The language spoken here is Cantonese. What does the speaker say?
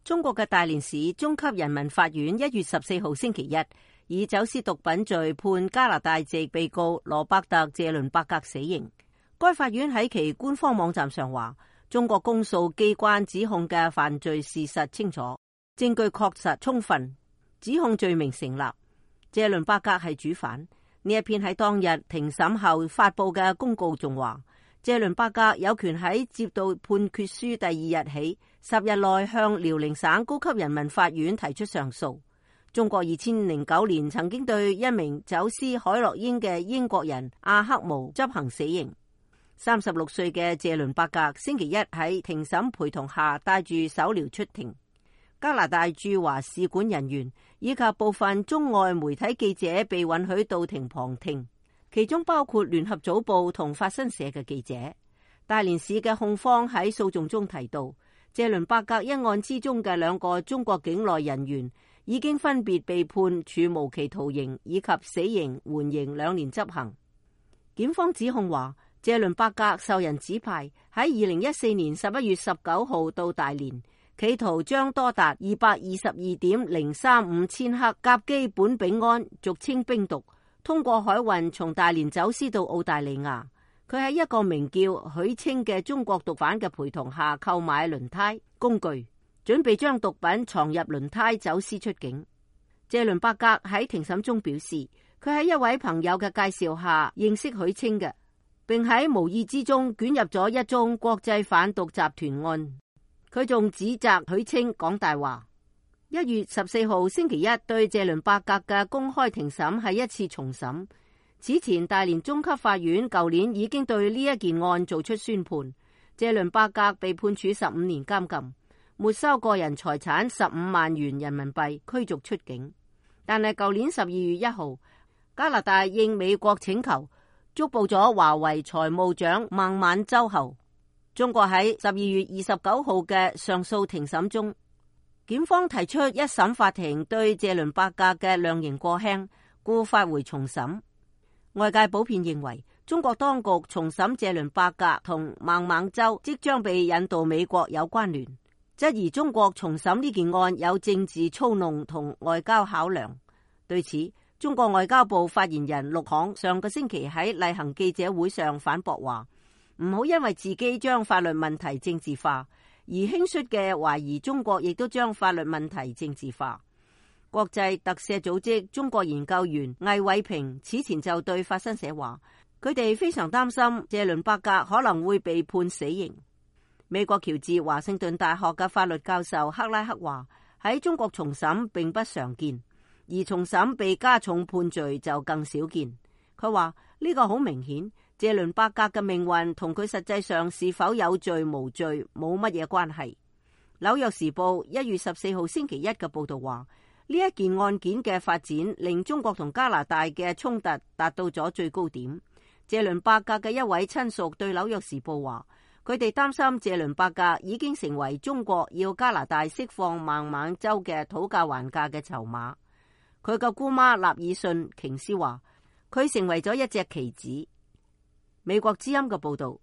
中國嘅大連市中級人民法院1月14號星期一以走私毒品罪判加拿大籍被告羅伯特·謝倫伯格死刑。該法院喺其官方網站上話，中國公訴機關指控嘅犯罪事實清楚，證據確實充分，指控罪名成立。謝倫伯格係主犯。呢一篇喺當日庭審後發佈嘅公告仲話，謝倫伯格有權喺接到判決書第2日起10日內向遼寧省高級人民法院提出上訴。中國2009年曾經對一名走私海洛因嘅英國人阿克姆執行死刑。36歲嘅謝倫伯格星期一喺庭審陪同下帶住手鐐出庭。加拿大駐華使館人員以及部分中外媒體記者被允許到庭旁聽，其中包括聯合早報同法新社嘅記者。大連市嘅控方喺訴訟中提到，謝倫伯格一案之中嘅2個中國境內人員已經分別被判處無期徒刑以及死刑緩刑2年執行。檢方指控話，謝倫伯格受人指派喺2014年11月19號到大連，企圖將多達222.035千克甲基苯丙胺，俗稱冰毒，通過海運從大連走私到澳大利亞。佢喺一個名叫許清嘅中國毒販嘅陪同下購買輪胎工具，準備將毒品藏入輪胎走私出境。謝倫伯格喺庭審中表示，佢喺一位朋友嘅介紹下認識許清嘅，並喺無意之中捲入咗一宗國際販毒集團案。佢仲指責許清講大話。1月14號星期一對謝倫伯格嘅公開庭審係一次重審。此前大連中級法院舊年已經對呢一件案做出宣判，謝倫伯格被判處15年監禁，沒收個人財產15萬元人民幣，驅逐出境。但係舊年12月1號，加拿大應美國請求捉捕咗華為財務長孟晚舟後，中國喺12月29號嘅上訴庭審中，檢方提出一審法庭對謝倫伯格嘅量刑過輕，故發回重審。外界普遍認為，中國當局重審謝倫伯格同孟晚舟即將被引渡美國有關聯，質疑中國重審呢件案有政治操弄同外交考量。對此，中國外交部發言人陸慷上個星期喺例行記者會上反駁話，唔好因為自己將法律問題政治化，而輕率嘅懷疑中國亦都將法律問題政治化。國際特赦組織中國研究員魏偉平此前就對法新社話，佢哋非常擔心謝倫伯格可能會被判死刑。美國喬治華盛頓大學嘅法律教授克拉克話，喺中國重審並不常見，而重審被加重判罪就更少見。佢話呢個好明顯，謝倫伯格嘅命運同佢實際上是否有罪無罪冇乜嘢關係。紐約時報1月14號星期一嘅報道話，呢一件案件嘅發展令中國同加拿大嘅衝突達到咗最高點。謝倫伯格嘅一位親屬對紐約時報話，佢哋擔心謝倫伯格已經成為中國要加拿大釋放孟晚舟嘅討價還價嘅籌碼。佢嘅姑媽納爾遜瓊斯話，佢成為咗一隻棋子。美國之音嘅報道。